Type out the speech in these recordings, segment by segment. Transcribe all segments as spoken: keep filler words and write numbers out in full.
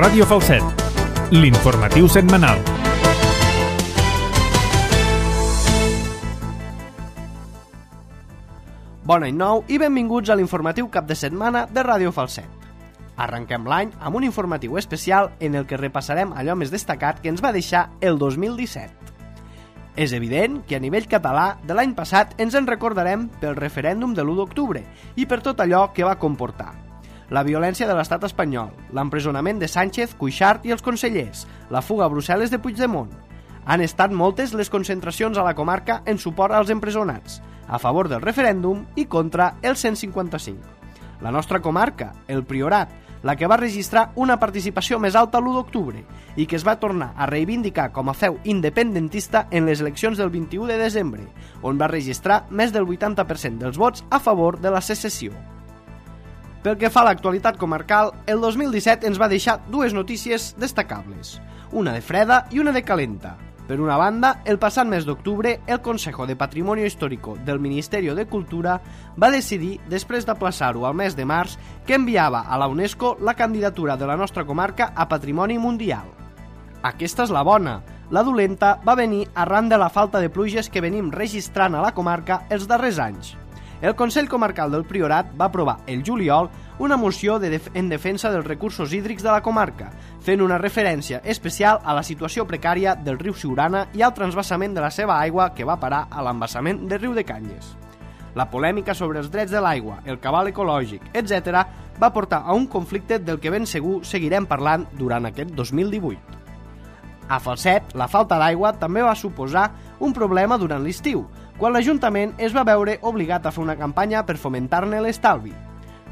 Ràdio Falset, l'informatiu setmanal. Bon any nou i benvinguts a l'informatiu cap de setmana de Ràdio Falset. Arrenquem l'any amb un informatiu especial en el que repassarem allò més destacat que ens va deixar el dos mil disset. És evident que a nivell català de l'any passat ens en recordarem pel referèndum de l'u d'octubre i per tot allò que va comportar. La violència de l'estat espanyol, l'empresonament de Sánchez, Cuixart i els consellers, la fuga a Brussel·les de Puigdemont. Han estat moltes les concentracions a la comarca en suport als empresonats, a favor del referèndum i contra el cent cinquanta-cinc. La nostra comarca, el Priorat, la que va registrar una participació més alta l'u d'octubre i que es va tornar a reivindicar com a feu independentista en les eleccions del vint-i-u de desembre, on va registrar més del vuitanta per cent dels vots a favor de la secessió. Pel que fa a l'actualitat comarcal, el dos mil disset ens va deixar dues notícies destacables, una de freda i una de calenta. Per una banda, el passat mes d'octubre, el Consejo de Patrimonio Histórico del Ministerio de Cultura va decidir, després d'aplaçar-ho al mes de març, que enviava a la UNESCO la candidatura de la nostra comarca a Patrimoni Mundial. Aquesta és la bona. La dolenta va venir arran de la falta de pluges que venim registrant a la comarca els darrers anys. El Consell Comarcal del Priorat va aprovar el juliol una moció de def en defensa dels recursos hídrics de la comarca, fent una referència especial a la situació precària del riu Siurana i al transvasament de la seva aigua que va parar a l'embassament del riu de Canyes. La polèmica sobre els drets de l'aigua, el cabal ecològic, etcètera, va portar a un conflicte del que ben segur seguirem parlant durant aquest dos mil divuit. A Falset, la falta d'aigua també va suposar un problema durant l'estiu, quan l'Ajuntament es va veure obligat a fer una campanya per fomentar-ne l'estalvi.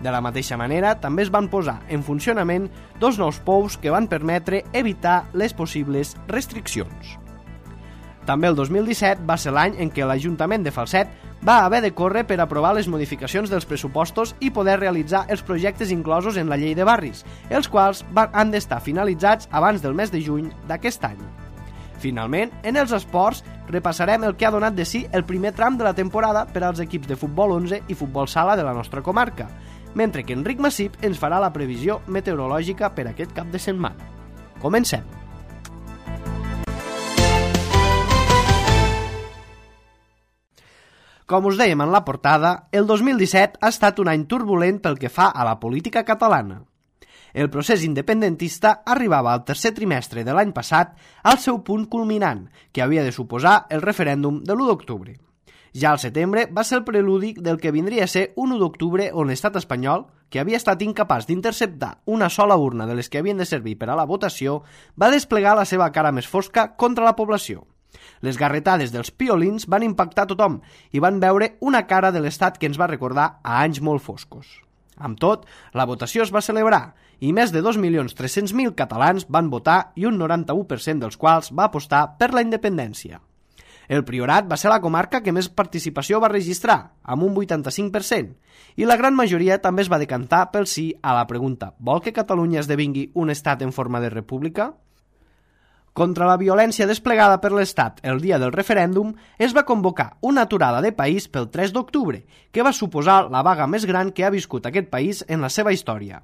De la mateixa manera, també es van posar en funcionament dos nous pous que van permetre evitar les possibles restriccions. També el dos mil disset va ser l'any en què l'Ajuntament de Falset va haver de córrer per aprovar les modificacions dels pressupostos i poder realitzar els projectes inclosos en la llei de barris, els quals han d'estar finalitzats abans del mes de juny d'aquest any. Finalment, en els esports, repassarem el que ha donat de si el primer tram de la temporada per als equips de futbol onze i futbol sala de la nostra comarca, mentre que Enric Massip ens farà la previsió meteorològica per aquest cap de setmana. Comencem! Com us dèiem en la portada, el dos mil disset ha estat un any turbulent pel que fa a la política catalana. El procés independentista arribava al tercer trimestre de l'any passat al seu punt culminant, que havia de suposar el referèndum de l'u d'octubre. Ja al setembre va ser el preludi del que vindria a ser un u d'octubre on l'estat espanyol, que havia estat incapaç d'interceptar una sola urna de les que havien de servir per a la votació, va desplegar la seva cara més fosca contra la població. Les garretades dels piolins van impactar tothom i van veure una cara de l'estat que ens va recordar a anys molt foscos. Amb tot, la votació es va celebrar i més de dos milions tres-cents mil catalans van votar i un noranta-u per cent dels quals va apostar per la independència. El Priorat va ser la comarca que més participació va registrar, amb un vuitanta-cinc per cent, i la gran majoria també es va decantar pel sí a la pregunta «Vol que Catalunya esdevingui un estat en forma de república?». Contra la violència desplegada per l'Estat el dia del referèndum, es va convocar una aturada de país pel tres d'octubre, que va suposar la vaga més gran que ha viscut aquest país en la seva història.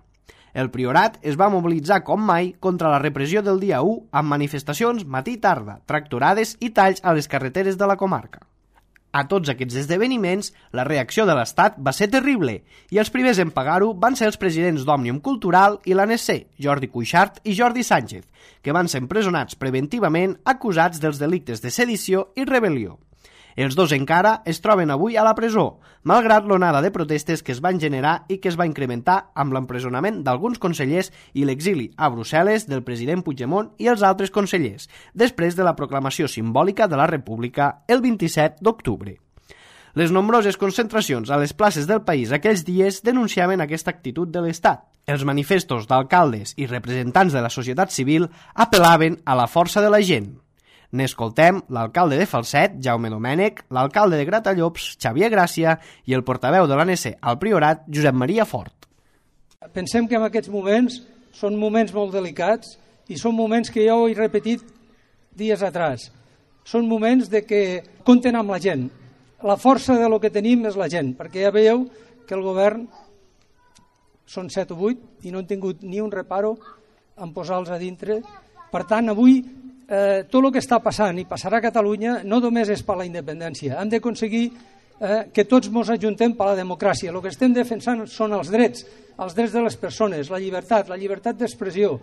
El Priorat es va mobilitzar com mai contra la repressió del dia u amb manifestacions matí i tarda, tractorades i talls a les carreteres de la comarca. A tots aquests esdeveniments, la reacció de l'Estat va ser terrible i els primers en pagar-ho van ser els presidents d'Òmnium Cultural i l'A N C, Jordi Cuixart i Jordi Sánchez, que van ser empresonats preventivament acusats dels delictes de sedició i rebel·lió. Els dos encara es troben avui a la presó, malgrat l'onada de protestes que es van generar i que es va incrementar amb l'empresonament d'alguns consellers i l'exili a Brussel·les del president Puigdemont i els altres consellers, després de la proclamació simbòlica de la República el vint-i-set d'octubre. Les nombroses concentracions a les places del país aquells dies denunciaven aquesta actitud de l'Estat. Els manifestos d'alcaldes i representants de la societat civil apel·laven a la força de la gent. N'escoltem l'alcalde de Falset, Jaume Domènech, l'alcalde de Gratallops, Xavier Gràcia, i el portaveu de l'A N C al Priorat, Josep Maria Fort. Pensem que en aquests moments són moments molt delicats i són moments que ja ho he repetit dies atrás. Són moments de que compten amb la gent. La força de lo que tenim és la gent, perquè ja veieu que el govern són set o vuit i no han tingut ni un reparo en posar-los a dintre. Per tant, avui eh, tot el que està passant i passarà a Catalunya no només és per la independència. Hem d'aconseguir eh, que tots ens ajuntem per la democràcia. El que estem defensant són els drets, els drets de les persones, la llibertat, la llibertat d'expressió,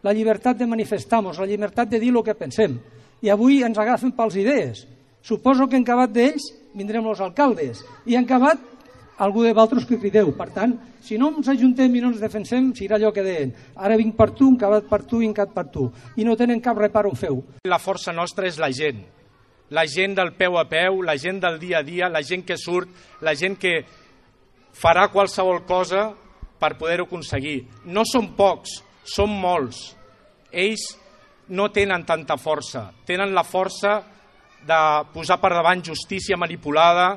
la llibertat de manifestar-nos, la llibertat de dir el que pensem. I avui ens agafen pels idees. Suposo que en acabat d'ells vindrem els alcaldes i en acabat algú de vosaltres que crideu. Per tant, si no ens ajuntem i no ens defensem, serà allò que deien. Ara vinc per tu, en acabat per tu i en acabat per tu. I no tenen cap repar on feu. La força nostra és la gent. La gent del peu a peu, la gent del dia a dia, la gent que surt, la gent que farà qualsevol cosa per poder-ho aconseguir. No són pocs, són molts. Ells no tenen tanta força. Tenen la força de posar per davant justícia manipulada,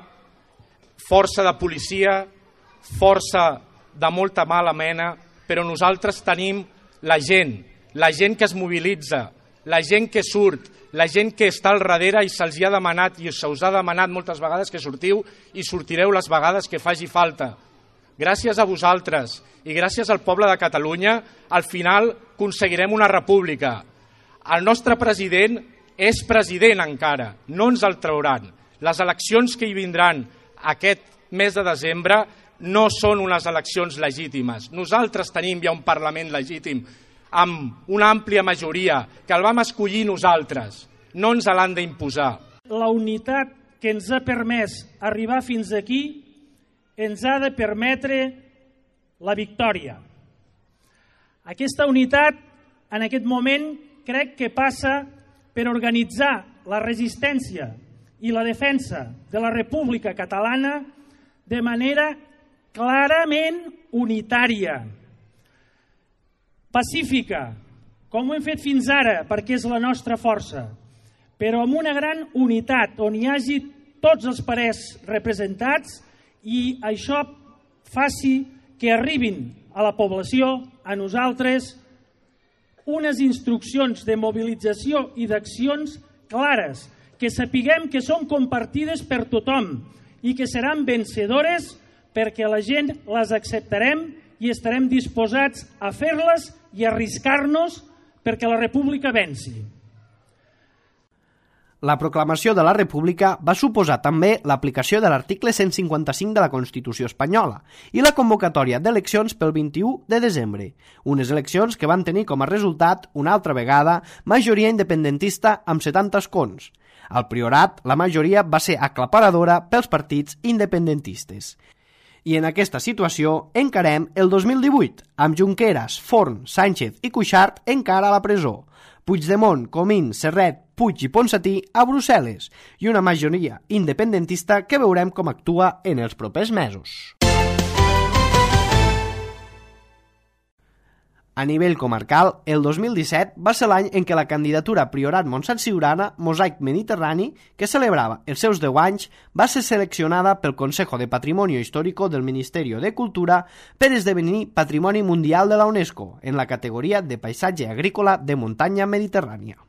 força de policia, força de molta mala mena, però nosaltres tenim la gent, la gent que es mobilitza, la gent que surt, la gent que està al darrere i se'ls ha demanat i se us ha demanat moltes vegades que sortiu i sortireu les vegades que faci falta. Gràcies a vosaltres i gràcies al poble de Catalunya, al final aconseguirem una república. El nostre president és president encara, no ens el trauran. Les eleccions que hi vindran aquest mes de desembre no són unes eleccions legítimes. Nosaltres tenim ja un Parlament legítim amb una àmplia majoria que el vam escollir nosaltres, no ens l'han d'imposar. La unitat que ens ha permès arribar fins aquí ens ha de permetre la victòria. Aquesta unitat en aquest moment crec que passa per organitzar la resistència i la defensa de la República Catalana de manera clarament unitària, pacífica, com ho hem fet fins ara, perquè és la nostra força, però amb una gran unitat, on hi hagi tots els parers representats i això faci que arribin a la població, a nosaltres, unes instruccions de mobilització i d'accions clares, que sapiguem que són compartides per tothom i que seran vencedores perquè la gent les acceptarem i estarem disposats a fer-les i arriscar-nos perquè la República venci. La proclamació de la República va suposar també l'aplicació de l'article cent cinquanta-cinc de la Constitució espanyola i la convocatòria d'eleccions pel vint-i-u de desembre, unes eleccions que van tenir com a resultat, una altra vegada, majoria independentista amb setanta escons. Al Priorat, la majoria va ser aclaparadora pels partits independentistes. I en aquesta situació encarem el dos mil divuit, amb Junqueras, Forn, Sánchez i Cuixart encara a la presó, Puigdemont, Comín, Serret, Puig i Ponsatí a Brussel·les i una majoria independentista que veurem com actua en els propers mesos. A nivell comarcal, el dos mil disset va ser l'any en què la candidatura Priorat Montsant Siurana, Mosaic Mediterrani, que celebrava els seus deu anys, va ser seleccionada pel Consejo de Patrimonio Histórico del Ministerio de Cultura per esdevenir Patrimoni Mundial de la UNESCO en la categoria de Paisatge Agrícola de Muntanya Mediterrània.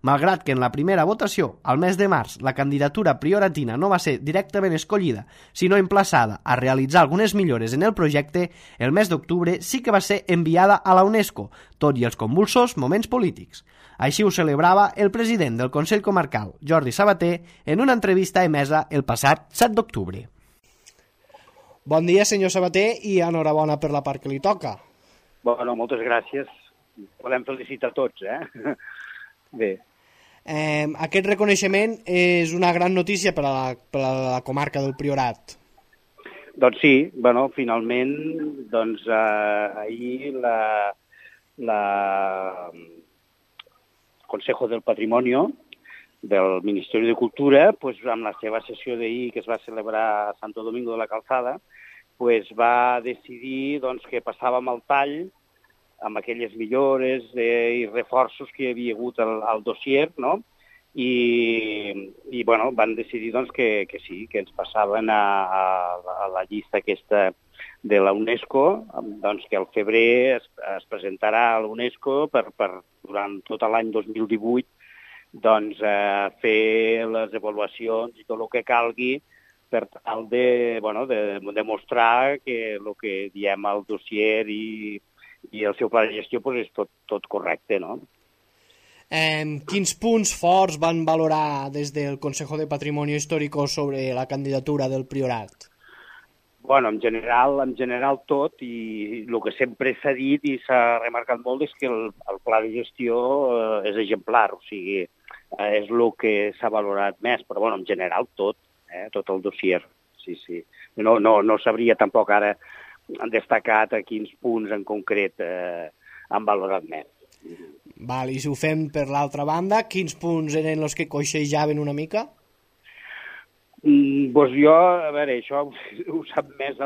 Malgrat que en la primera votació, al mes de març, la candidatura prioratina no va ser directament escollida, sinó emplaçada a realitzar algunes millores en el projecte, el mes d'octubre sí que va ser enviada a la UNESCO, tot i els convulsos moments polítics. Així ho celebrava el president del Consell Comarcal, Jordi Sabater, en una entrevista emesa el passat set d'octubre. Bon dia, senyor Sabater, i enhorabona per la part que li toca. Bueno, moltes gràcies. Podem felicitar tots, eh? Bé. Eh, aquest reconeixement és una gran notícia per a la, per a la comarca del Priorat. Doncs sí, bueno, finalment, doncs eh, ahir la, la Consejo del Patrimonio del Ministeri de Cultura, pues, amb la seva sessió d'ahir que es va celebrar a Santo Domingo de la Calzada, pues, va decidir doncs, que passàvem al tall amb aquelles millores eh, i reforços que hi havia hagut al, al dossier, no? I, i bueno, van decidir doncs, que, que sí, que ens passaven a, a, a la llista aquesta de la UNESCO, doncs, que al febrer es, es presentarà a la UNESCO per, per, durant tot l'any dos mil divuit doncs, eh, fer les avaluacions i tot el que calgui per tal de, bueno, de demostrar que el que diem al dossier i i el seu pla de gestió pues, és tot, tot correcte, no? Eh, quins punts forts van valorar des del Consejo de Patrimonio Histórico sobre la candidatura del Priorat? Bueno, en general, en general tot, i el que sempre s'ha dit i s'ha remarcat molt és que el, el pla de gestió eh, és exemplar, o sigui, eh, és el que s'ha valorat més, però bueno, en general tot, eh, tot el dossier, sí, sí. No, no, no sabria tampoc ara destacat a quins punts en concret eh, han valorat més. Val, i si ho fem per l'altra banda, quins punts eren els que coixejaven una mica? Mm, doncs jo, a veure, això ho sap més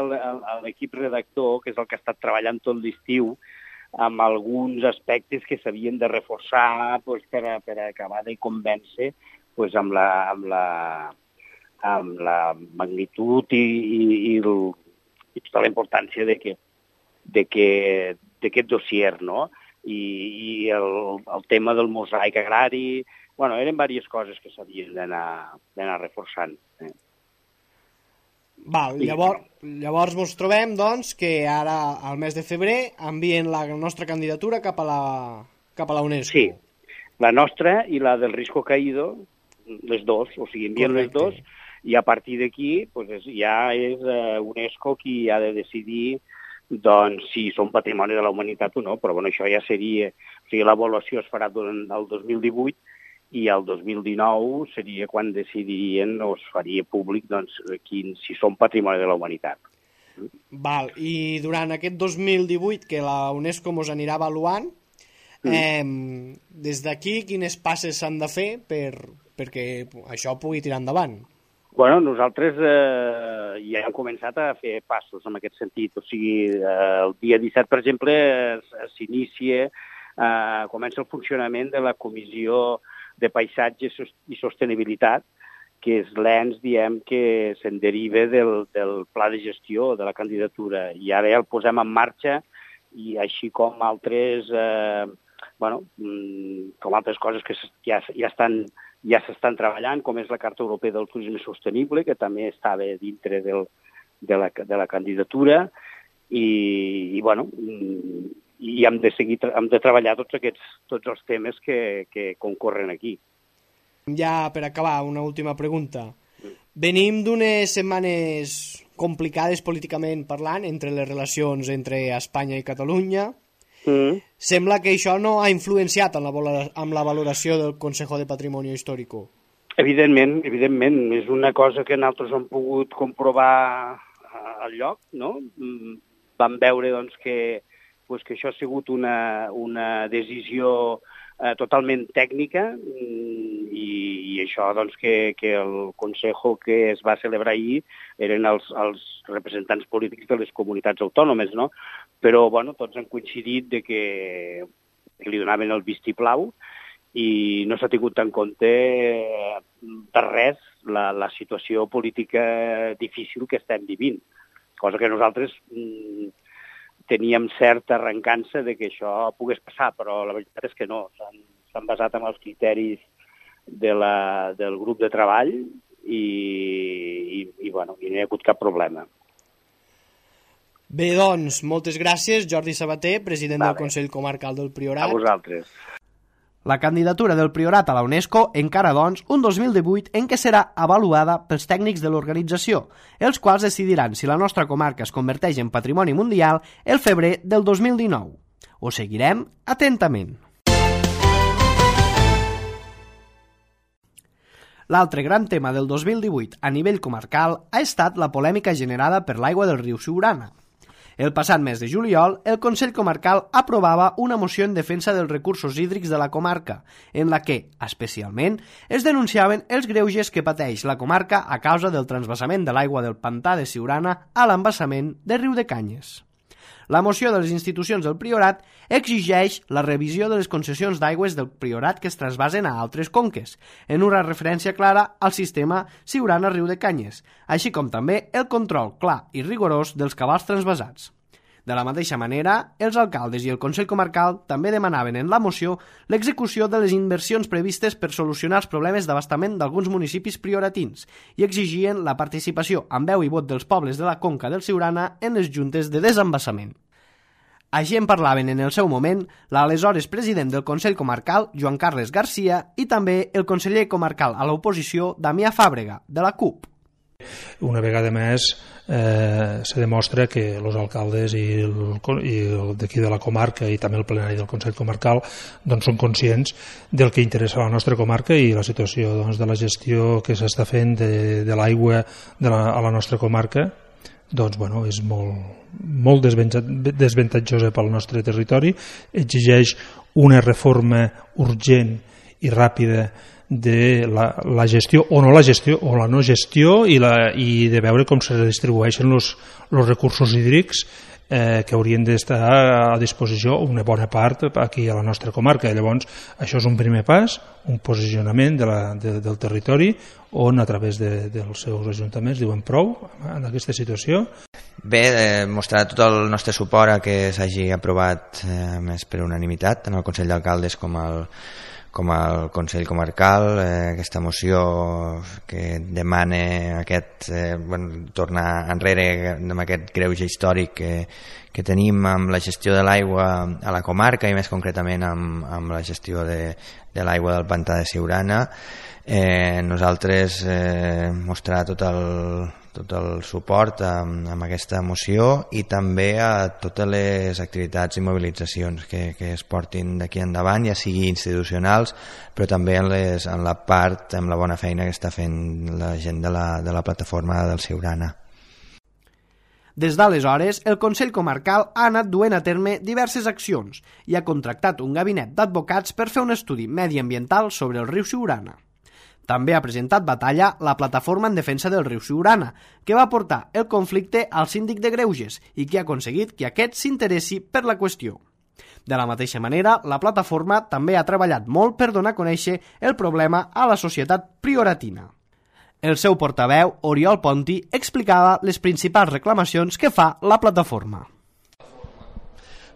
l'equip redactor, que és el que ha estat treballant tot l'estiu, amb alguns aspectes que s'havien de reforçar doncs, per, a, per a acabar de convèncer doncs, amb, la, amb, la, amb la magnitud i, i, i, el, i tota la importància de que, de que, d'aquest dossier, no? I, i el, el tema del mosaic agrari. Bueno, eren diverses coses que s'havien d'anar reforçant. Eh? Val, llavors, llavors ens trobem, doncs, que ara, al mes de febrer, envien la nostra candidatura cap a la, cap a la UNESCO. Sí, la nostra i la del Risco Caído, les dos, o sigui, envien les dos, i a partir d'aquí pues, ja és uh, UNESCO qui ha de decidir doncs, si són patrimoni de la humanitat o no, però bueno, això ja seria... O sigui, l'avaluació es farà durant el dos mil divuit, i el dos mil dinou seria quan decidirien o es faria públic doncs, quin, si són patrimoni de la humanitat. Val, i durant aquest dos mil divuit que la UNESCO ens anirà avaluant, mm. eh, des d'aquí quines passes s'han de fer per, perquè això pugui tirar endavant? Bueno, nosaltres eh, ja hem començat a fer passos en aquest sentit. O sigui, eh, el dia disset, per exemple, s'inicia, eh, comença el funcionament de la Comissió de Paisatge i Sostenibilitat, que és l'ens, diem, que se'n deriva del, del pla de gestió de la candidatura. I ara ja el posem en marxa, i així com altres, eh, bueno, com altres coses que ja, ja estan ja s'estan treballant, com és la Carta Europea del Turisme Sostenible, que també estava dintre del, de, la, de la candidatura, i, i bueno, i hem de seguir, hem de treballar tots aquests, tots els temes que, que concorren aquí. Ja per acabar, una última pregunta. Venim d'unes setmanes complicades políticament parlant entre les relacions entre Espanya i Catalunya. Mm. Sembla que això no ha influenciat en la, amb la valoració del Consejo de Patrimonio Histórico. Evidentment, evidentment. És una cosa que nosaltres hem pogut comprovar al lloc, no? Vam veure doncs, que pues que això ha sigut una, una decisió eh, totalment tècnica i, i això doncs, que, que el Consejo que es va celebrar ahir eren els, els representants polítics de les comunitats autònomes, no? Però bueno, tots han coincidit de que, que li donaven el vistiplau i no s'ha tingut en compte de res la, la situació política difícil que estem vivint, cosa que nosaltres mm, teníem certa arrencança de que això pogués passar, però la veritat és que no. S'han basat en els criteris de la, del grup de treball i, i, i, bueno, i no hi ha hagut cap problema. Bé, doncs, moltes gràcies, Jordi Sabater, president vale. del Consell Comarcal del Priorat. A vosaltres. La candidatura del Priorat a la UNESCO encara, doncs, un dos mil divuit en què serà avaluada pels tècnics de l'organització, els quals decidiran si la nostra comarca es converteix en patrimoni mundial el febrer del dos mil dinou. Ho seguirem atentament. L'altre gran tema del dos mil divuit a nivell comarcal ha estat la polèmica generada per l'aigua del riu Siurana. El passat mes de juliol, el Consell Comarcal aprovava una moció en defensa dels recursos hídrics de la comarca, en la que, especialment, es denunciaven els greuges que pateix la comarca a causa del transvasament de l'aigua del pantà de Siurana a l'embassament de Riu de Canyes. La moció de les institucions del Priorat exigeix la revisió de les concessions d'aigües del Priorat que es trasbasen a altres conques, en una referència clara al sistema Siurana-Riu de Canyes, així com també el control clar i rigorós dels cabals transvasats. De la mateixa manera, els alcaldes i el Consell Comarcal també demanaven en la moció l'execució de les inversions previstes per solucionar els problemes d'abastament d'alguns municipis prioratins i exigien la participació amb veu i vot dels pobles de la conca del Siurana en les juntes de desembassament. Així en parlaven en el seu moment l'aleshores president del Consell Comarcal, Joan Carles Garcia, i també el conseller comarcal a l'oposició, Damià Fàbrega, de la C U P. Una vegada més eh, se demostra que els alcaldes i, el, i el d'aquí de la comarca i també el plenari del Consell Comarcal doncs, són conscients del que interessa a la nostra comarca i la situació doncs, de la gestió que s'està fent de, de l'aigua de la, a la nostra comarca doncs, bueno, és molt, molt desventatjosa pel nostre territori, exigeix una reforma urgent i ràpida de la, la gestió o no la gestió o la no gestió i, la, i de veure com se distribueixen els recursos hídrics eh, que haurien d'estar a disposició una bona part aquí a la nostra comarca. Llavors, això és un primer pas, un posicionament de la, de, del territori on a través de, dels seus ajuntaments diuen prou en aquesta situació. Bé, eh, mostrar tot el nostre suport a que s'hagi aprovat eh, més per unanimitat tant el Consell d'Alcaldes com el com el Consell Comarcal, eh, aquesta moció que demana aquest, eh, bueno, tornar enrere amb aquest greuge històric que, que tenim amb la gestió de l'aigua a la comarca i més concretament amb, amb la gestió de, de l'aigua del pantà de Siurana. Eh, nosaltres eh, mostrar tot el, tot el suport amb, amb aquesta moció i també a totes les activitats i mobilitzacions que, que es portin d'aquí endavant, ja sigui institucionals, però també en, les, en la part, amb la bona feina que està fent la gent de la, de la plataforma del Siurana. Des d'aleshores, el Consell Comarcal ha anat duent a terme diverses accions i ha contractat un gabinet d'advocats per fer un estudi mediambiental sobre el riu Siurana. També ha presentat batalla la plataforma en defensa del riu Siurana, que va portar el conflicte al síndic de Greuges i que ha aconseguit que aquest s'interessi per la qüestió. De la mateixa manera, la plataforma també ha treballat molt per donar a conèixer el problema a la societat prioratina. El seu portaveu, Oriol Ponti, explicava les principals reclamacions que fa la plataforma.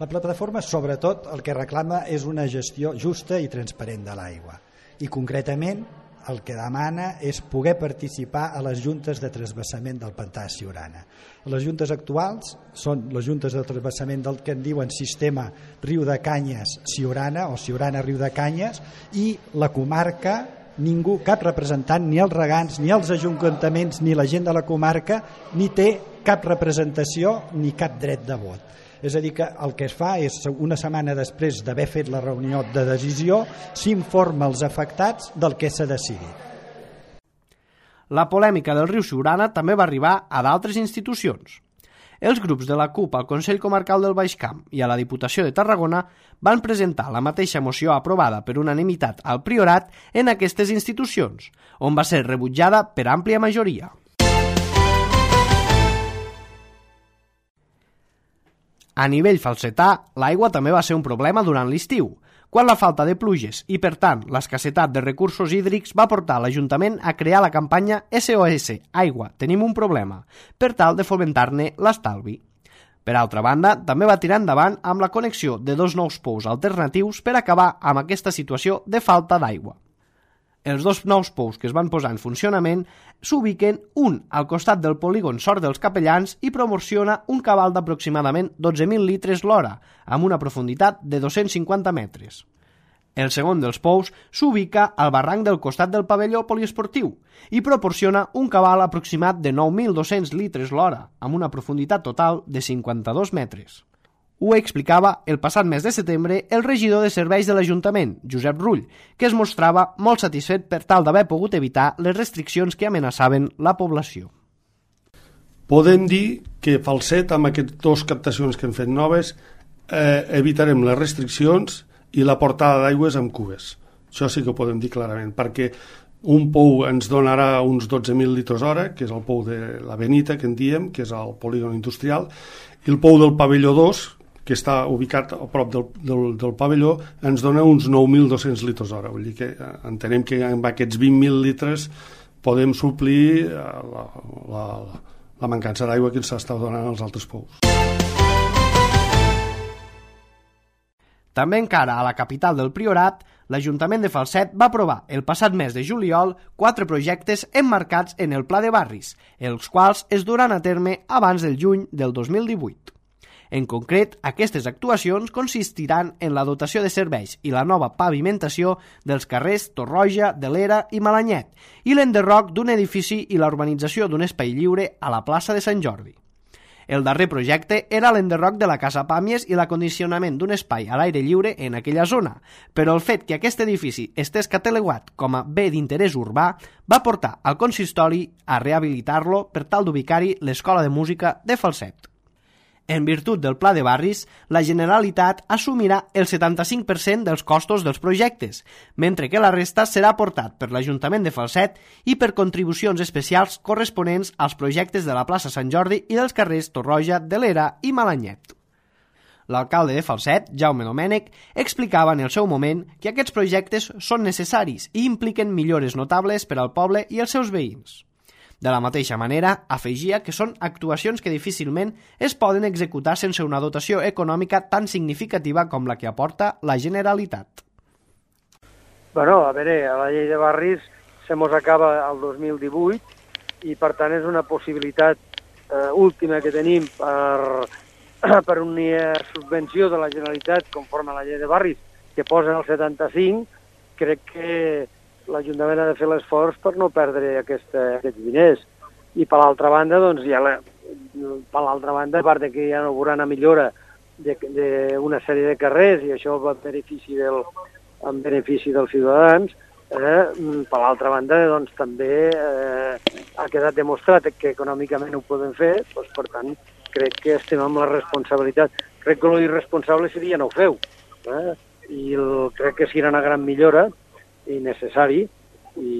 La plataforma, sobretot, el que reclama és una gestió justa i transparent de l'aigua. I concretament, el que demana és poder participar a les juntes de transvasament del pantà de Siurana. Les juntes actuals són les juntes de transvasament del que en diuen sistema Riu de Canyes Siurana o Siurana Riu de Canyes, i la comarca, ningú, cap representant, ni els regants, ni els ajuntaments, ni la gent de la comarca, ni té cap representació ni cap dret de vot. És a dir, que el que es fa és, una setmana després d'haver fet la reunió de decisió, s'informa als afectats del que s'ha decidit. La polèmica del riu Siurana també va arribar a d'altres institucions. Els grups de la C U P al Consell Comarcal del Baix Camp i a la Diputació de Tarragona van presentar la mateixa moció aprovada per unanimitat al Priorat en aquestes institucions, on va ser rebutjada per àmplia majoria. A nivell falsetà, l'aigua també va ser un problema durant l'estiu, quan la falta de pluges i, per tant, l'escassetat de recursos hídrics va portar l'Ajuntament a crear la campanya S O S Aigua, tenim un problema, per tal de fomentar-ne l'estalvi. Per altra banda, també va tirar endavant amb la connexió de dos nous pous alternatius per acabar amb aquesta situació de falta d'aigua. Els dos nous pous que es van posar en funcionament s'ubiquen un al costat del polígon Sort dels Capellans i proporciona un cabal d'aproximadament dotze mil litres l'hora, amb una profunditat de dos-cents cinquanta metres. El segon dels pous s'ubica al barranc del costat del pavelló poliesportiu i proporciona un cabal aproximat de nou mil dos-cents litres l'hora, amb una profunditat total de cinquanta-dos metres. Ho explicava el passat mes de setembre el regidor de serveis de l'Ajuntament, Josep Rull, que es mostrava molt satisfet per tal d'haver pogut evitar les restriccions que amenaçaven la població. Podem dir que Falset, amb aquestes dues captacions que hem fet noves, eh, evitarem les restriccions i la portada d'aigües amb cubes. Això sí que ho podem dir clarament, perquè un pou ens donarà uns dotze mil litres hora, que és el pou de la Benita, que en diem, que és el polígon industrial, i el pou del pavelló dos, que està ubicat a prop del, del, del pavelló, ens dona uns nou mil dos-cents litres hora. Vull dir que entenem que amb aquests vint mil litres podem suplir la, la, la mancança d'aigua que ens està donant als altres pous. També encara a la capital del Priorat, l'Ajuntament de Falset va aprovar el passat mes de juliol quatre projectes emmarcats en el Pla de Barris, els quals es duran a terme abans del juny del dos mil divuit. En concret, aquestes actuacions consistiran en la dotació de serveis i la nova pavimentació dels carrers Torroja, de l'Era i Malanyet i l'enderroc d'un edifici i la urbanització d'un espai lliure a la plaça de Sant Jordi. El darrer projecte era l'enderroc de la Casa Pàmies i l'acondicionament d'un espai a l'aire lliure en aquella zona, però el fet que aquest edifici estés catalogat com a bé d'interès urbà va portar al consistori a rehabilitar-lo per tal d'ubicar-hi l'Escola de Música de Falset. En virtut del Pla de Barris, la Generalitat assumirà el setanta-cinc per cent dels costos dels projectes, mentre que la resta serà aportat per l'Ajuntament de Falset i per contribucions especials corresponents als projectes de la plaça Sant Jordi i dels carrers Torroja, de l'Era i Malanyet. L'alcalde de Falset, Jaume Domènech, explicava en el seu moment que aquests projectes són necessaris i impliquen millores notables per al poble i els seus veïns. De la mateixa manera, afegia que són actuacions que difícilment es poden executar sense una dotació econòmica tan significativa com la que aporta la Generalitat. Bueno, a veure, a la llei de barris se mos acaba el dos mil divuit i per tant és una possibilitat eh, última que tenim per, per una subvenció de la Generalitat conforme a la llei de barris que posa el setanta-cinc. Crec que l'Ajuntament ha de fer l'esforç per no perdre aquesta, aquests diners. I per l'altra banda, doncs, ja la, per l'altra banda, a part de que hi ha una millora d'una sèrie de carrers i això va en benefici, del, en benefici dels ciutadans, eh, per l'altra banda, doncs, també eh, ha quedat demostrat que econòmicament ho poden fer, doncs, per tant, crec que estem amb la responsabilitat. Crec que l'irresponsable seria no ho feu. Eh? I el, crec que serà una gran millora i necessari, i,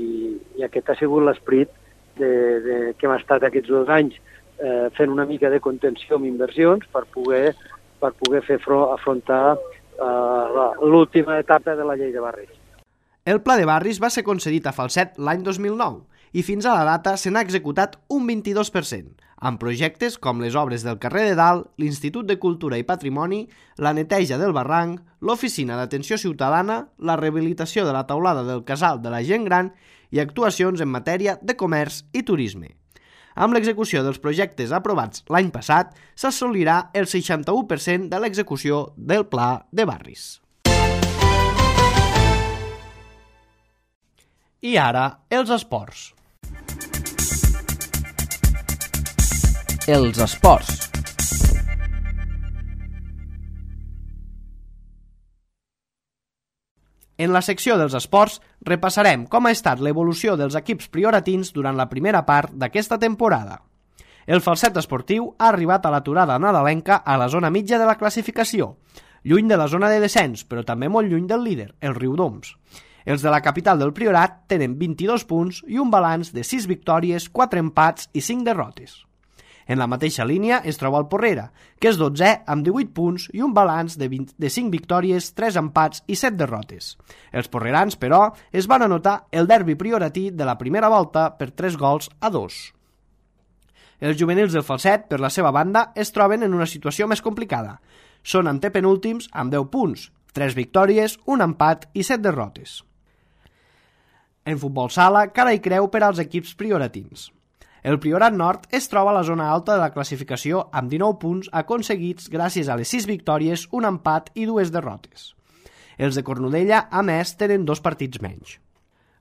i aquest ha sigut l'esperit de, de, que hem estat aquests dos anys eh, fent una mica de contenció amb inversions per poder, per poder fer front, afrontar eh, l'última etapa de la llei de barris. El Pla de Barris va ser concedit a Falset l'any dos mil nou i fins a la data se n'ha executat un vint-i-dos per cent, amb projectes com les obres del carrer de Dalt, l'Institut de Cultura i Patrimoni, la neteja del barranc, l'Oficina d'Atenció Ciutadana, la rehabilitació de la taulada del Casal de la Gent Gran i actuacions en matèria de comerç i turisme. Amb l'execució dels projectes aprovats l'any passat, s'assolirà el seixanta-u per cent de l'execució del Pla de Barris. I ara, els esports. Els esports. En la secció dels esports repassarem com ha estat l'evolució dels equips prioratins durant la primera part d'aquesta temporada. El Falset esportiu ha arribat a l'aturada nadalenca a la zona mitja de la classificació, lluny de la zona de descens, però també molt lluny del líder, el Riudoms. Els de la capital del Priorat tenen vint-i-dos punts i un balanç de sis victòries, quatre empats i cinc derrotes. En la mateixa línia es troba el Porrera, que és dotzè amb divuit punts i un balanç de, vint, de cinc victòries, tres empats i set derrotes. Els porrerans, però, es van anotar el derbi prioratí de la primera volta per tres gols a dos. Els juvenils del Falset, per la seva banda, es troben en una situació més complicada. Són antepenúltims amb deu punts, tres victòries, un empat i set derrotes. En futbol sala, cara i creu per als equips prioratins. El Priorat Nord es troba a la zona alta de la classificació amb dinou punts aconseguits gràcies a les sis victòries, un empat i dues derrotes. Els de Cornudella, a més, tenen dos partits menys.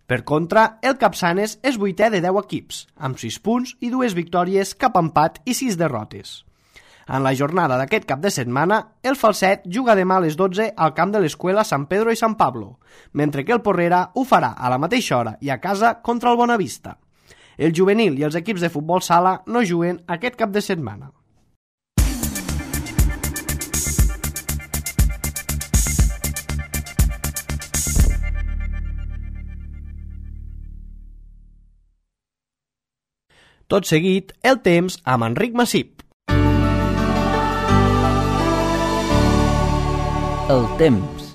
Per contra, el Capçanes és vuitè de deu equips, amb sis punts i dues victòries, cap empat i sis derrotes. En la jornada d'aquest cap de setmana, el Falset juga demà a les dotze al camp de l'Escuela San Pedro i San Pablo, mentre que el Porrera ho farà a la mateixa hora i a casa contra el Bonavista. El juvenil i els equips de futbol sala no juguen aquest cap de setmana. Tot seguit, el temps amb Enric Massip. El temps.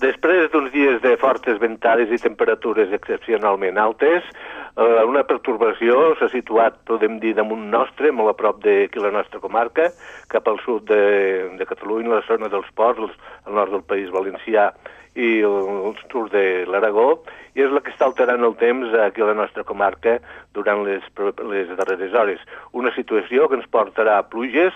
Després d'uns dies de fortes ventades i temperatures excepcionalment altes, eh, una pertorbació s'ha situat, podem dir, damunt nostre, molt a prop d'aquí la nostra comarca, cap al sud de, de Catalunya, la zona dels ports, al nord del País Valencià i el, el sud de l'Aragó, i és la que està alterant el temps aquí a la nostra comarca durant les, les darreres hores. Una situació que ens portarà a pluges,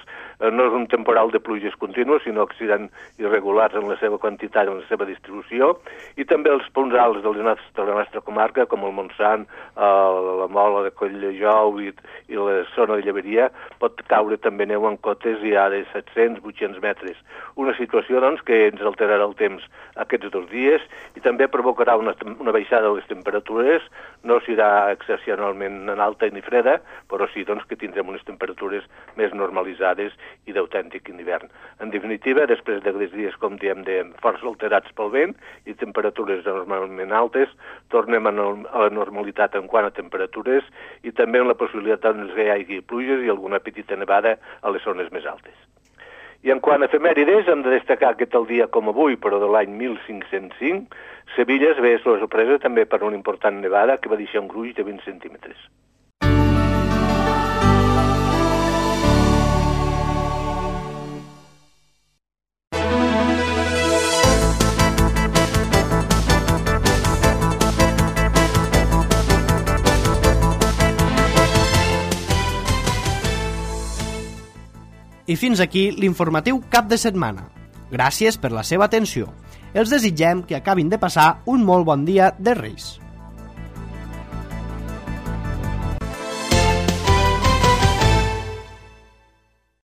no és un temporal de pluges contínues, sinó que seran irregulars en la seva quantitat i en la seva distribució, i també els punts alts de la nostra, de la nostra comarca, com el Montsant, la Mola de Colldejou i, i la zona de Lleberia, pot caure també neu en cotes ja de set-cents a vuit-cents metres. Una situació, doncs, que ens alterarà el temps aquests dos dies i també provocarà una, una baixada de les temperatures, no serà excepcionalment alta ni freda, però sí, doncs, que tindrem unes temperatures més normalitzades i d'autèntic hivern. En definitiva, després de dies, com diem, de força alterats pel vent i temperatures normalment altes, tornem a, no, a la normalitat en quant a temperatures i també en la possibilitat doncs, que hi hagi pluges i alguna petita nevada a les zones més altes. I en quant a efemèrides, hem de destacar que tal dia com avui, però de l'any mil cinc-cents cinc, Sevilla es ve la sorpresa també per una important nevada que va deixar un gruix de vint centímetres. I fins aquí l'informatiu cap de setmana. Gràcies per la seva atenció. Els desitgem que acabin de passar un molt bon dia de Reis.